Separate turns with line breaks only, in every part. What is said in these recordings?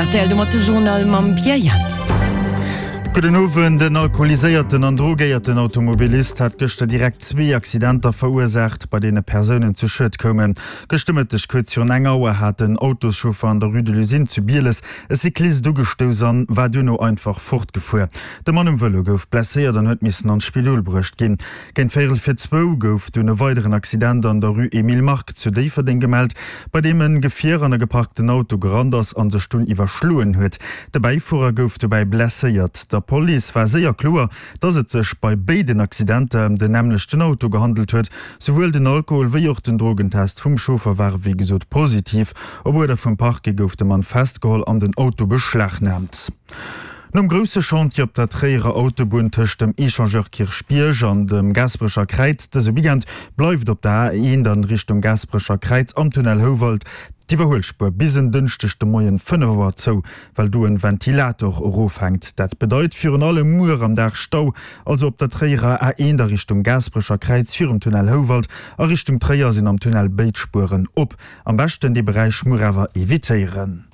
rtl, domat de Journal mam Pierre Jans.
Gudden Owend. En alkoholiséierten an drogéierten Automobilist hat gëschter direkt zwee Accidenter verursaacht, bei deene Persounen zu Schued koumen. Gëschter Mëtteg kuerz virun eng Auer hat en Autoschauffer an der Rue de l'Usine zu Bieles e Cyclist ugestouss an war duerno einfach fortgefuer. De Mann um Vëlo gouf blesséiert an huet missen an d'Spidol bruecht ginn. Géint véierel vir zwou gouf dunn e weideren Accident an der Rue Emile Mark zu Déifferdeng gemellt, bei deem en Gefier an e geparkten Auto gerannt ass an sech dunn iwwerschloen huet. De Bäifuerer gouf dobäi blesséiert. Der Police war séier kloer, dass et sech bei béiden Accidenter ëm den nämmlechten Auto gehandelt huet. Souwuel den Alkohol wéi och den Drogentest vum Chauffer ware wéi gesot positiv. Op Uerder vum Parquet gouf de Mann festgeholl an den Auto beschlagnaamt. Nom grousse Chantier op der Tréierer Autobunn tëscht dem Echangeur Kierchbierg an dem Gaasperecher Kräiz dëse Weekend bleift op der A1 an Richtung Gaasperecher Kräiz am Tunnel Houwald d'Iwwerhuelspuer bis en Dënschdeg de Moien 5 Auer zou, well do en Ventilator erofhänkt. Dat bedeit virun allem muer am Dag Stau, also op der Tréierer A1 a Richtung Gaasperecher Kräiz virum Tunnel Houwald a Richtung Tréier sinn am Tunnel béid Spueren op. Am beschten dee Beräich muer awer evitéieren.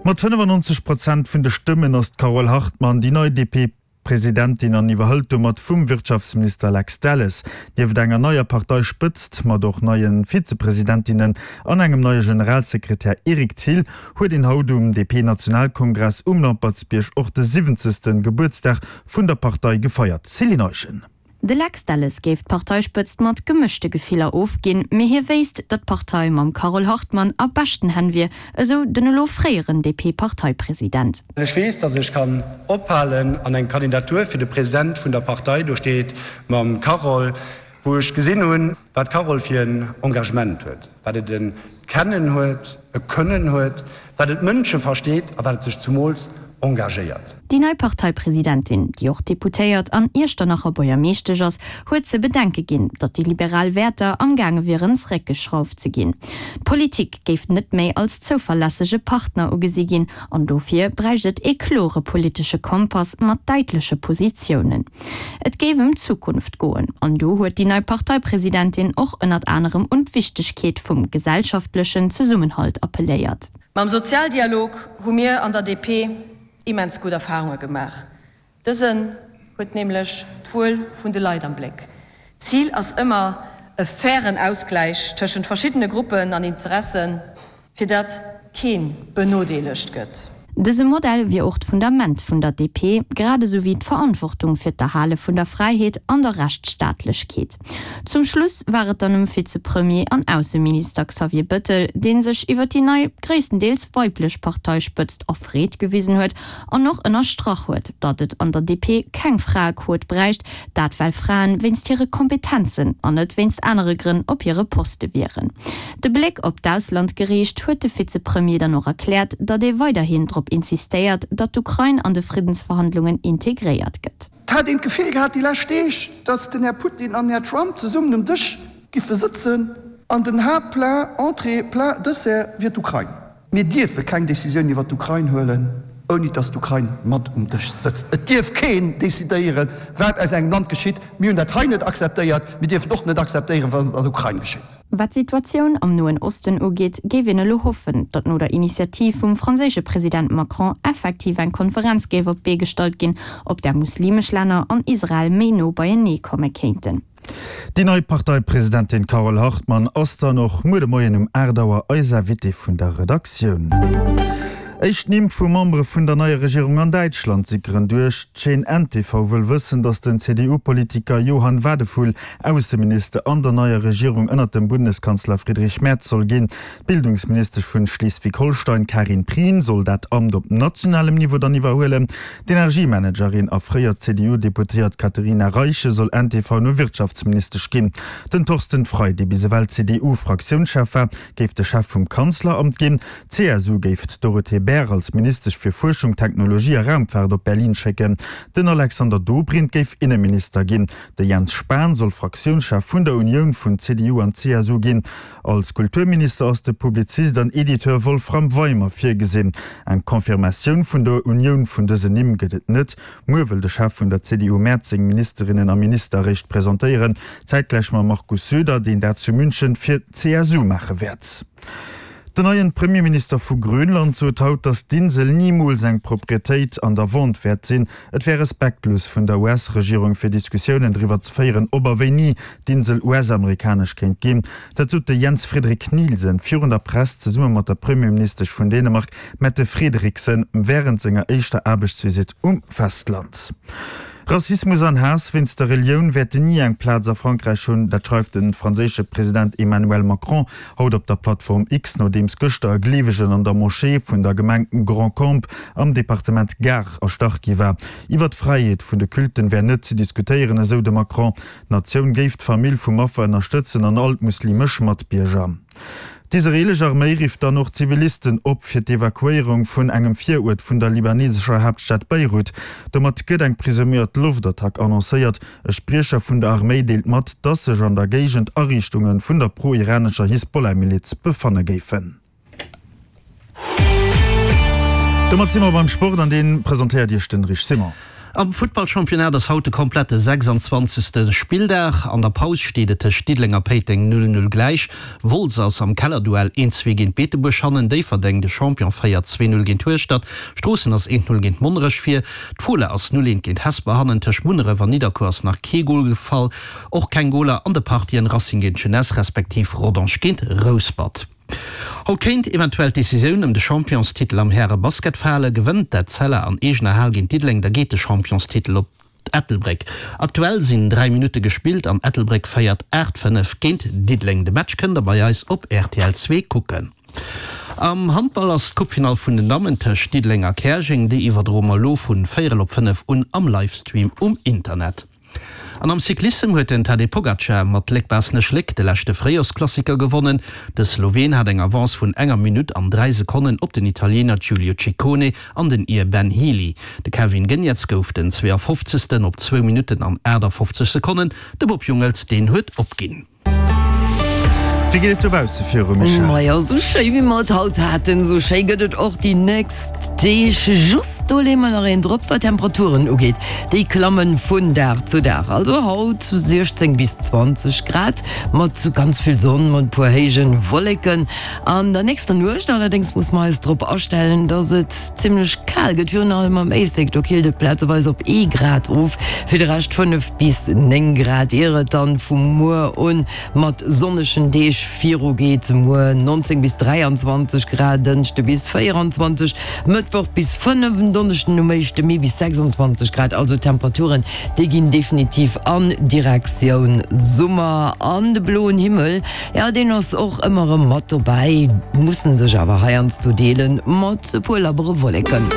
Mat 95 Prozent vun de Stëmmen ass d'Carole Hartmann déi nei DP-Presidentin an iwwerhëlt domat vum Wirtschaftsminister Lex Delles. Nieft enger neier Parteispëtzt, mat och neie Vizepresidentinnen an engem neie Generalsekretär Eric Thill, huet een haut um DP-Nationalkongress um Lampertsbierg och de 70. Gebuertsdag vun der Partei gefeiert. Céline Eischen.
De Lex Delles géif d'Parteispëtzt mat gemëschte Gefiller ofginn, mee hie wéisst, datt d'Partei mam Carole Hartmann a beschten Hänn wier, esou den elo fréieren DP-Parteipresident.
Ech weess, datt ech kann ophalen an eng Kandidatur fir de President vun der Partei, do steet mam Carole, wou ech gesinn hunn, wat d'Carole fir en Engagement huet, wat et e Kennen huet, e Kënnen huet, wat et d'Mënsche versteet a wat et sech zumools engagéiert.
Déi nei Parteipresidentin, déi och Deputéiert an Iechternacher Buergermeeschtesch ass, huet ze bedenke ginn, datt déi liberal Wäerter am gaange wieren zeréckgeschrauft ze ginn. D'Politik géif net méi als zouverlässege Partner ugesi ginn an dofir bräicht et ee klore politesche Kompass mat däitleche Positiounen. Et géif ëm d'Zukunft goen an do huet déi nei Parteipresidentin och ënnert anerem un d'Wichtegkeet vum gesellschaftlechen Zesummenhalt appelléiert.
Mam Sozialdialog hu mir an der DP immens gutt Erfarunge gemaach. Dësen huet nämlech d'Wuel vun de Leit am Bléck. D'Zil ass ëmmer e fairen Ausgläich tëschent verschiddene Gruppen an Interessen, fir datt kee benodeelegt gëtt.
Dëse Modell wier och d'Fundament vun der DP, grad esou wéi d'Verantwortung fir d'Erhale vun der Fräiheet an der Rechtsstaatlechkeet. Zum Schluss war et dann um Vizepremier an Ausseminister Xavier Bëttel, dee sech iwwer déi nei, gréisstendeels weiblech Parteispëtzt erfreet gewisen huet an och ënnerstrach huet, datt et an der DP keng Fraequot bräicht, dat well Fraen wéinst hire Kompetenzen an net wéinst anere Grënn op hire Poste wieren. De Bléck op d'Ausland geriicht, huet de Vizepremier dann och erkläert, datt ee weiderhin drop insistéiert, datt d'Ukrain an de Friddensverhandlungen integréiert gëtt.
Et hat een d'Gefill gehat déi lescht Deeg, datt den Här Putin an den Här Trump zesummen um Dësch giffe sëtzen an den Haaptplat, Entrée, Plat, Dessert wier d'Ukrain. Mir dierfe keng Decisioun iwwer d'Ukrain huelen, ouni datt d'Ukrain mat um Dësch sëtzt. Et dierf keen decidéieren, wat aus engem Land geschitt. Mir hunn dat hei net akzeptéiert. Mir dierfen och net akzeptéieren, wat an der Ukrain geschitt.
Wat d'Situatioun am Noen Osten ugeet, géif een elo hoffen, datt no der Initiativ vum franséische President Macron effektiv eng Konferenz géif op d'Bee gestallt ginn, op där muslimesch Länner an Israel méi no beienee komme kéinten.
Déi nei Parteipresidentin Carole Hartmann ass dann och muer de Moien um 8 Auer eis Invitée vun der Redaktioun. Éischt Nimm vu Membere vun der neier Regierung an Däitschland sickeren duerch. D'Chaîne ntv wëll wëssen, datt den CDU-Politiker Johann Wadephul Ausseminister an der neier Regierung ënnert dem Bundeskanzler Friedrich Merz soll ginn. D'Bildungsministesch vun Schleswig-Holstein Karin Prien soll dat Amt op nationalem Niveau dann iwwerhuelen. D'Energiemanagerin a fréier CDU-Deputéiert Katherina Reiche soll ntv no Wirtschaftsministesch ginn. Den Thorsten Frei, dee bis ewell CDU-Fraktiounschef war, géif de Chef vum Kanzleramt ginn. D'CSU géif d'Dorothee Bär als Ministesch fir Fuerschung, Technologie a Raumfaart op Berlin schécken. Den Alexander Dobrindt géif Inneminister ginn. De Jens Spahn soll Fraktiounschef vun der Unioun vun CDU an CSU ginn. Als Kulturminister ass de Publizist an Editeur Wolfram Weimer virgesinn. Eng Confirmatioun vun der Unioun vun dësen Nimm gëtt et net. Muer wëll de Chef vun der CDU Merz seng Ministerinnen a Minister eréischt presentéieren, zäitgläich mam Markus Söder, deen dat zu München fir d'CSU maache wäert. Den neien Premierminister vu Grönland sot haut, datt d'Insel nimools eng Proprietéit an der Vente wäert sinn. Et wär respektlos vun der US-Regierung fir Diskussiounen driwwer ze féieren, ob a wéini d'Insel US-amerikanesch kéint ginn. Dat sot de Jens Frederik Nielsen virun der Press zesumme mat der Premierministesch vun Dänemark Mette Frederiksen wärend senger éischter Aarbechtsvisitt um Festland. Rassismus an Haass wéinst der Relioun wäerten ni eng Plaz a Frankräich hunn, dat schreift de franséische President Emmanuel Macron haut op der Plattform X, nodeems gëschter e Gleewegen an der Moschee vun der Gemeng Grand-Combe am Departement Gard erstach gi war. Iwwer d'Fräiheet vun de Culten wär net ze diskutéieren, esou de Macron. D'Natioun géif d'Famill vum Affer ënnerstëtzen an all d'muslimesch Matbierger. D'israeelesch Arméi rifft dann och Zivilisten op fir d'Evakuéierung vun engem Viruert vun der libanesescher Haaptstad Beirut. Domat gëtt eng presuméiert Loftattack annoncéiert. E Spriecher vun der Arméi deelt mat, datt sech an der Géigend Ariichtunge vun der pro-iranescher Hisbollah-Miliz befanne géifen. Domat si mer beim Sport an dee presentéiert Iech den Rich Simon.
Am Futtballchampionnat ass haut de komplette 26. Spilldag. An der Paus steet et tëscht Diddeleng a Péiteng 0, 0 gläich. Wolz ass am Kellerduell 1, 2 géint Beetebuerg hannen, Déifferdeng, de Champion, féiert 2, 0 géint Hueschtert, Stroossen ass 1, 0 géint Monnerech vir, d'Fola ass 0, 1 géint Hesper hannen. Tëscht Munneref an Nidderkuer ass nach kee Gol gefall. Och keng Goler an de Partien Racing géint Jeunesse respektiv Rodange géint Rouspert. Haut kéint eventuell d'Decisioun ëm de Championstitel am Häre-Basket falen. Gewënnt d'Etzella an eegener Hal géint Diddeleng, da geet de Championstitel op Ettelbréck. Aktuell sinn 3 Minutte gespillt an Ettelbréck féiert 8, 5 géint Diddeleng. De Match kënnt der bei eis op rtl 2 kucken. Am Handball ass d'Coupefinall vun den Dammen tëscht Diddeleng a Käerjeng. Déi iwwerdroe mer elo vun véierel op 5 un am Livestream um Internet. An am Cyclissem huet den Tadej Pogacar mat Léck-Baaschtnech-Léck de leschte Fréijorsklassiker gewonnen. De Sloween hat eng Avance vun enger Minutt an 3 Sekonnen op den Italiener Giulio Ciccone an den Ir Ben Healy. De Kevin Geniets gouf den 52. op zwou Minutten an 58 Sekonnen. De Bob Jungels, deen huet opginn.
Wéi geet et dobausse viru, Michèle?
Majo, sou schéi wéi mer et haut haten, sou schéi gëtt et och déi nächst Deeg. Just do leeë mer nach een drop, wat d'Temperaturen ugeet. Déi klamme vun Dag zu Dag. Also haut 16 bis 20 Grad mat ganz vill Sonn, mat e puer héije Wolleken. An der nächster Nuecht allerdéngs muss mer eis drop astellen, dass et zimmlech kal gëtt, virun allem am Éislek. Do killt et plazeweis op ee Grad of, fir de Rescht 5 bis 9 Grad, ier et dann vu muer un mat sonnegen Deeg viru geet. Muer 19 bis 23 Grad, Dënschde bis 24, Mëttwoch bis 5, en Donneschden um éischte Mee bis 26 Grad. Also d'Temperaturen, déi ginn definitiv an Direktioun Summer an de bloen Himmel. Jo, deen ass och ëmmer erëm mat dobäi, mussen sech awer heiansdo deelen mat e puer labbere Wolleken.